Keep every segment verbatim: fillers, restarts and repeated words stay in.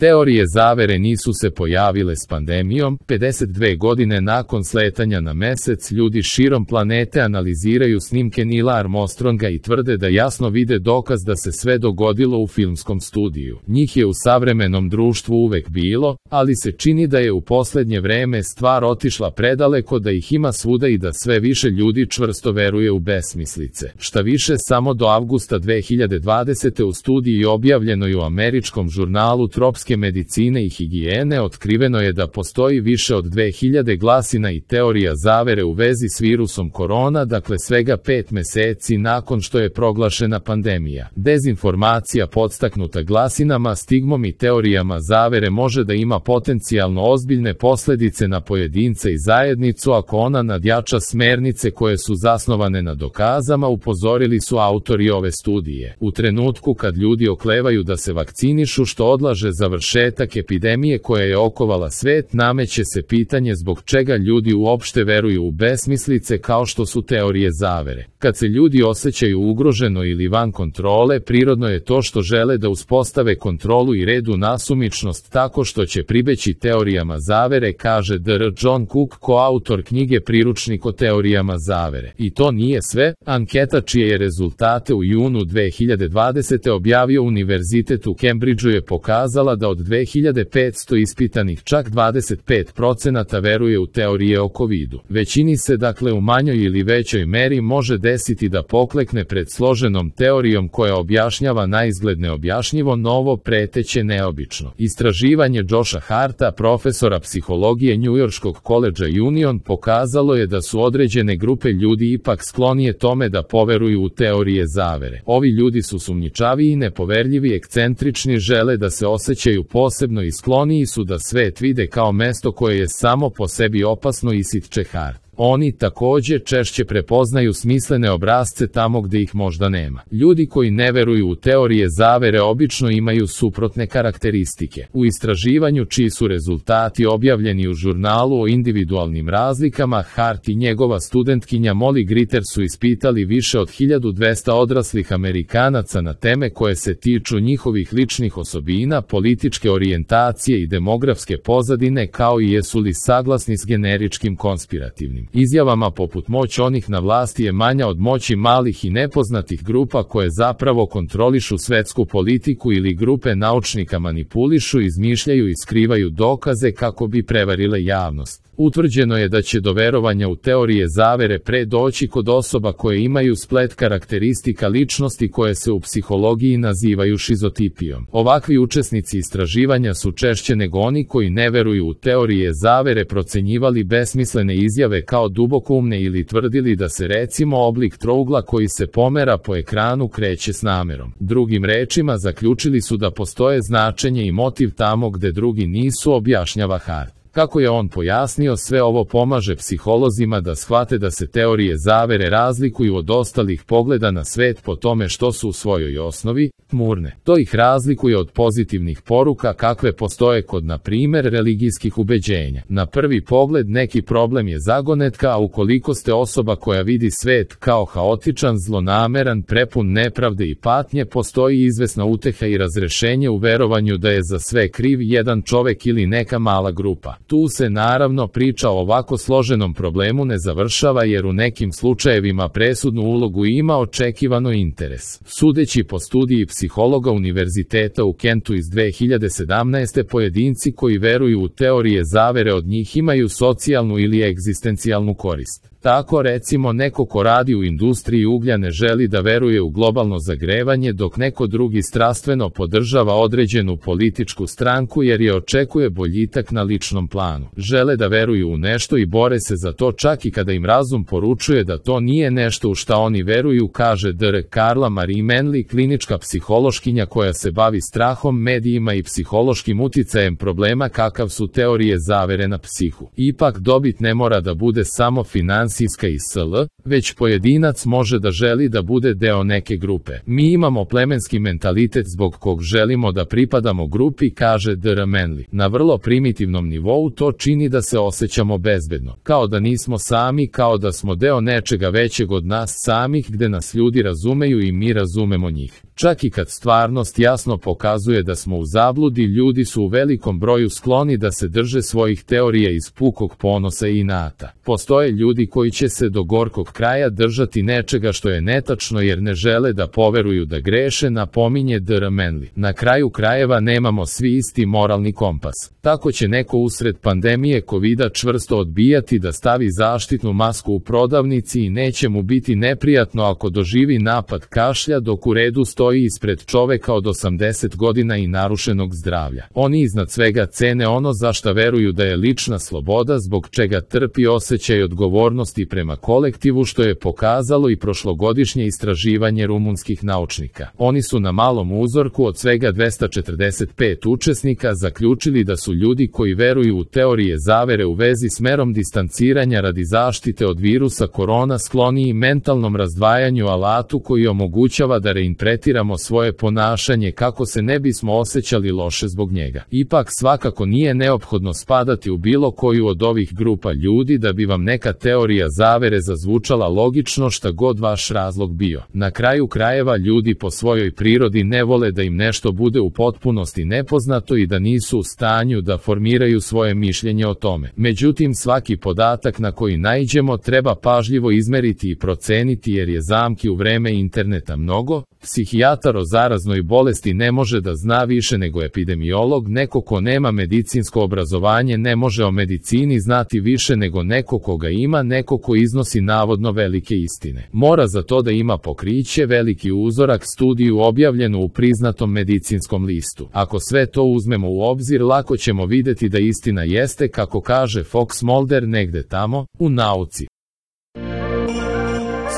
Teorije zavere nisu se pojavile s pandemijom. pedeset dve godine nakon sletanja na mesec, ljudi širom planete analiziraju snimke Neila Armstronga i tvrde da jasno vide dokaz da se sve dogodilo u filmskom studiju. Njih je u savremenom društvu uvek bilo, ali se čini da je u poslednje vreme stvar otišla predaleko, da ih ima svuda i da sve više ljudi čvrsto veruje u besmislice. Šta više, samo do avgusta dve hiljade dvadesete. u studiji objavljenoj u američkom žurnalu Tropske medicine i higijene otkriveno je da postoji više od dve hiljade glasina i teorija zavere u vezi s virusom korona, dakle svega pet meseci nakon što je proglašena pandemija. Dezinformacija podstaknuta glasinama, stigmom i teorijama zavere može da ima potencijalno ozbiljne posledice na pojedinca i zajednicu ako ona nadjača smernice koje su zasnovane na dokazama, upozorili su autori ove studije. U trenutku kad ljudi oklevaju da se vakcinišu, što odlaže završetak epidemije koja je okovala svet, nameće se pitanje zbog čega ljudi uopšte veruju u besmislice kao što su teorije zavere. Kad se ljudi osjećaju ugroženo ili van kontrole, prirodno je to što žele da uspostave kontrolu i red u nasumičnost tako što će pribeći teorijama zavere, kaže dr John Cook, koautor knjige Priručnik o teorijama zavere. I to nije sve. Anketa čije je rezultate u junu dve hiljade dvadesete. objavio Univerzitet u Cambridgeu je pokazala da od dve hiljade petsto ispitanih čak dvadeset pet procenata veruje u teorije o covidu. Većini se dakle u manjoj ili većoj meri može desiti da poklekne pred složenom teorijom koja objašnjava naizgled neobjašnjivo, novo, preteće, neobično. Istraživanje Josha Harta, profesora psihologije Njujorškog koledža Union, pokazalo je da su određene grupe ljudi ipak sklonije tome da poveruju u teorije zavere. Ovi ljudi su sumnjičavi i nepoverljivi, ekscentrični, žele da se osjećaju posebno i skloniji su da svet vide kao mesto koje je samo po sebi opasno, ističe Hart. Oni takođe češće prepoznaju smislene obrasce tamo gde ih možda nema. Ljudi koji ne veruju u teorije zavere obično imaju suprotne karakteristike. U istraživanju čiji su rezultati objavljeni u žurnalu o individualnim razlikama, Hart i njegova studentkinja Molly Gritter su ispitali više od hiljadu dvesta odraslih Amerikanaca na teme koje se tiču njihovih ličnih osobina, političke orijentacije i demografske pozadine, kao i jesu li saglasni s generičkim konspirativnim izjavama poput moć onih na vlasti je manja od moći malih i nepoznatih grupa koje zapravo kontrolišu svetsku politiku ili grupe naučnika manipulišu, izmišljaju i skrivaju dokaze kako bi prevarile javnost. Utvrđeno je da će do verovanja u teorije zavere pre doći kod osoba koje imaju splet karakteristika ličnosti koje se u psihologiji nazivaju šizotipijom. Ovakvi učesnici istraživanja su češće nego oni koji ne veruju u teorije zavere procenjivali besmislene izjave kao dubokoumne ili tvrdili da se recimo oblik trougla koji se pomera po ekranu kreće s namerom. Drugim rečima, zaključili su da postoje značenje i motiv tamo gde drugi nisu, objašnjava Hart. Kako je on pojasnio, sve ovo pomaže psiholozima da shvate da se teorije zavere razlikuju od ostalih pogleda na svet po tome što su u svojoj osnovi tmurne. To ih razlikuje od pozitivnih poruka kakve postoje kod, na primer, religijskih ubeđenja. Na prvi pogled neki problem je zagonetka, a ukoliko ste osoba koja vidi svet kao haotičan, zlonameran, prepun nepravde i patnje, postoji izvesna uteha i razrešenje u verovanju da je za sve kriv jedan čovek ili neka mala grupa. Tu se naravno priča o ovako složenom problemu ne završava, jer u nekim slučajevima presudnu ulogu ima očekivano interes. Sudeći po studiji psihologa Univerziteta u Kentu iz dve hiljade sedamnaeste. pojedinci koji veruju u teorije zavere od njih imaju socijalnu ili egzistencijalnu korist. Tako recimo neko ko radi u industriji uglja ne želi da veruje u globalno zagrevanje, dok neko drugi strastveno podržava određenu političku stranku jer je očekuje boljitak na ličnom planu. Žele da veruju u nešto i bore se za to čak i kada im razum poručuje da to nije nešto u šta oni veruju, kaže dr Carla Marie Manley, klinička psihološkinja koja se bavi strahom, medijima i psihološkim uticajem problema kakav su teorije zavere na psihu. Ipak dobit ne mora da bude samo finansijska finansijska i sl., već pojedinac može da želi da bude deo neke grupe. Mi imamo plemenski mentalitet zbog kog želimo da pripadamo grupi, kaže D R Manley. Na vrlo primitivnom nivou to čini da se osjećamo bezbedno, kao da nismo sami, kao da smo deo nečega većeg od nas samih, gde nas ljudi razumeju i mi razumemo njih. Čak i kad stvarnost jasno pokazuje da smo u zabludi, ljudi su u velikom broju skloni da se drže svojih teorija iz pukog ponosa i inata. Postoje ljudi koji će se do gorkog kraja držati nečega što je netačno jer ne žele da poveruju da greše, napominje D R Manley. Na kraju krajeva nemamo svi isti moralni kompas. Tako će neko usred pandemije kovida čvrsto odbijati da stavi zaštitnu masku u prodavnici i neće mu biti neprijatno ako doživi napad kašlja dok u redu stoji ispred čoveka od osamdeset godina i narušenog zdravlja. Oni iznad svega cene ono za šta veruju da je lična sloboda, zbog čega trpi osjećaj odgovornosti prema kolektivu, što je pokazalo i prošlogodišnje istraživanje rumunskih naučnika. Oni su na malom uzorku od svega dvesta četrdeset pet učesnika zaključili da su ljudi koji veruju u teorije zavere u vezi s merom distanciranja radi zaštite od virusa korona skloniji mentalnom razdvajanju, alatu koji omogućava da reinterpretiramo svoje ponašanje kako se ne bismo osjećali loše zbog njega. Ipak svakako nije neophodno spadati u bilo koju od ovih grupa ljudi da bi vam neka teorija zavere zazvučala logično, šta god vaš razlog bio. Na kraju krajeva ljudi po svojoj prirodi ne vole da im nešto bude u potpunosti nepoznato i da nisu u stanju da formiraju svoje mišljenje o tome. Međutim, svaki podatak na koji naiđemo treba pažljivo izmeriti i proceniti jer je zamki u vreme interneta mnogo. Psihijatar o zaraznoj bolesti ne može da zna više nego epidemiolog, neko ko nema medicinsko obrazovanje ne može o medicini znati više nego neko ko ga ima, neko ko iznosi navodno velike istine. Mora za to da ima pokriće, veliki uzorak, studiju objavljenu u priznatom medicinskom listu. Ako sve to uzmemo u obzir, lako ćemo videti da istina jeste, kako kaže Fox Mulder, negde tamo, u nauci.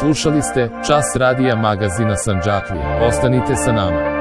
Slušali ste Čas radija magazina Sandžaklija. Ostanite sa nama.